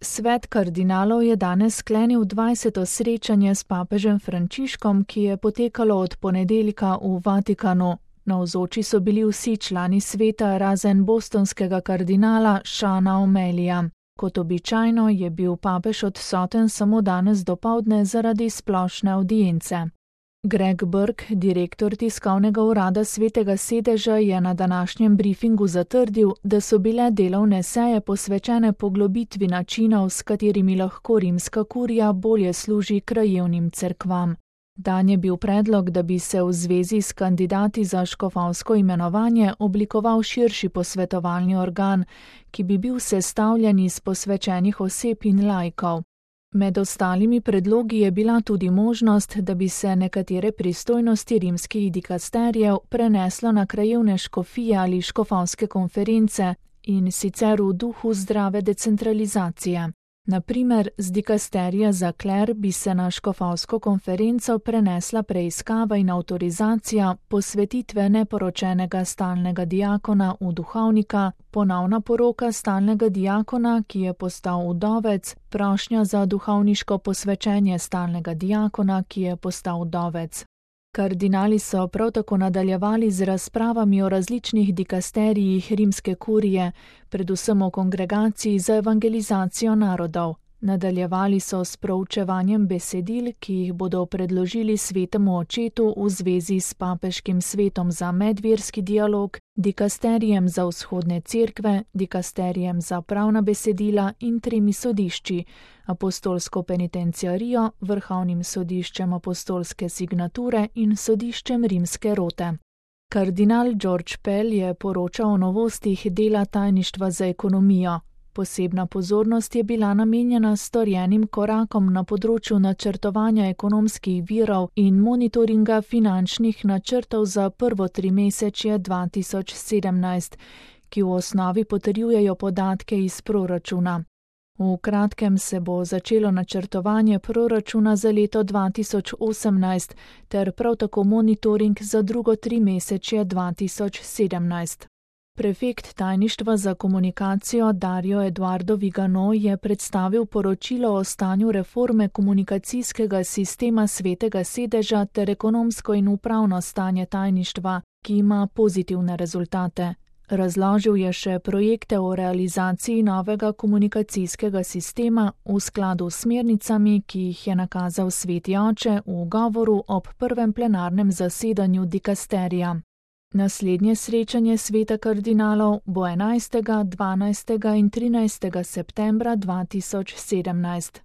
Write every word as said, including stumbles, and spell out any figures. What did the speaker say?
Svet kardinalov je danes sklenil dvajseto srečanje s papežem Frančiškom, ki je potekalo od ponedeljka v Vatikanu. Navzoči so bili vsi člani sveta razen bostonskega kardinala Seana O'Malleyja. Kot običajno je bil papež odsoten samo danes dopoldne zaradi splošne avdience. Greg Burke, direktor tiskovnega urada Svetega sedeža, je na današnjem briefingu zatrdil, da so bile delovne seje posvečene poglobitvi načinov, s katerimi lahko rimska kurija bolje služi krajevnim cerkvam. Dan je bil predlog, da bi se v zvezi s kandidati za škofovsko imenovanje oblikoval širši posvetovalni organ, ki bi bil sestavljen iz posvečenih oseb in laikov. Med ostalimi predlogi je bila tudi možnost, da bi se nekatere pristojnosti rimskih dikasterijev preneslo na krajevne škofije ali škofovske konference, in sicer v duhu zdrave decentralizacije. Na primer, z dikasterija za kler bi se na škofovsko konferenco prenesla preiskava in avtorizacija posvetitve neporočenega stalnega diakona v duhovnika, ponovna poroka stalnega diakona, ki je postal vdovec, prošnja za duhovniško posvečenje stalnega diakona, ki je postal vdovec. Kardinali so prav tako nadaljevali z razpravami o različnih dikasterijih rimske kurije, predvsem o kongregaciji za evangelizacijo narodov. Nadaljevali so s proučevanjem besedil, ki jih bodo predložili svetemu očetu v zvezi s papeškim svetom za medverski dialog, dikasterijem za vzhodne cerkve, dikasterijem za pravna besedila in tremi sodišči, apostolsko penitenciarijo, vrhovnim sodiščem apostolske signature in sodiščem rimske rote. Kardinal George Pell je poročal o novostih dela tajništva za ekonomijo. Posebna pozornost je bila namenjena storjenim korakom na področju načrtovanja ekonomskih virov in monitoringa finančnih načrtov za prvo trimesečje dva tisoč sedemnajst, ki v osnovi potrjujejo podatke iz proračuna. V kratkem se bo začelo načrtovanje proračuna za leto dva tisoč osemnajst ter prav tako monitoring za drugo trimesečje dva tisoč sedemnajst. Prefekt tajništva za komunikacijo Dario Eduardo Vigano je predstavil poročilo o stanju reforme komunikacijskega sistema Svetega sedeža ter ekonomsko in upravno stanje tajništva, ki ima pozitivne rezultate. Razložil je še projekte o realizaciji novega komunikacijskega sistema v skladu s smernicami, ki jih je nakazal Sveti oče v govoru ob prvem plenarnem zasedanju dikasterija. Naslednje srečanje sveta kardinalov bo enajstega, dvanajstega in trinajstega septembra dva tisoč sedemnajst.